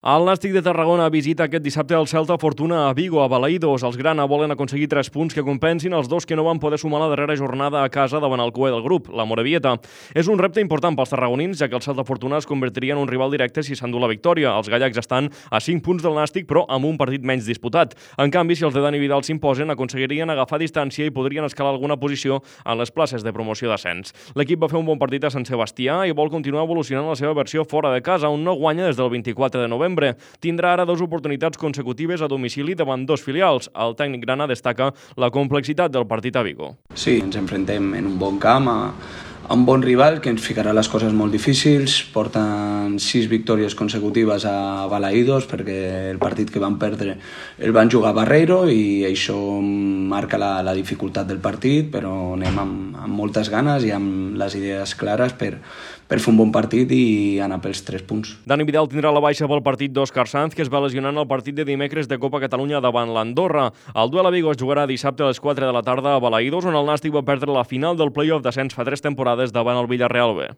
El Nàstic de Tarragona visita aquest dissabte el Celta Fortuna a Vigo, a Balaïdos. Els grana volen aconseguir 3 punts que compensin els 2 que no van poder sumar la darrera jornada a casa davant el cué del grup, la Morevieta. És un repte important pels tarragonins, ja que el Celta Fortuna es convertiria en un rival directe si s'endú la victòria. Els gallecs estan a 5 punts del Nàstic, però amb un partit menys disputat. En canvi, si els de Dani Vidal s'imposen, aconseguirien agafar distància i podrien escalar alguna posició en les places de promoció d'ascens. L'equip va fer un bon partit a Sant Sebastià i vol continuar evolucionant la seva versió fora de casa, on no guanya des del 24 de novembre. Tindrà ara 2 oportunitats consecutives a domicili davant 2 filials. El tècnic grana destaca la complexitat del partit a Vigo. Sí, ens enfrontem en un bon camp a un bon rival que ens ficarà les coses molt difícils. Porten 6 victòries consecutives a Balaïdos perquè el partit que van perdre el van jugar a Barreiro i això marca la dificultat del partit, però anem amb moltes ganes i amb les idees clares per fer un bon partit i anar pels 3 punts. Dani Vidal tindrà la baixa pel partit d'Òscar Sanz, que es va lesionar en el partit de dimecres de Copa Catalunya davant l'Andorra. El duel a Vigo es jugarà dissabte a les 4 de la tarda a Balaïdos, on el Nàstic va perdre la final del play-off d'ascens fa 3 temporades davant el Villarreal B.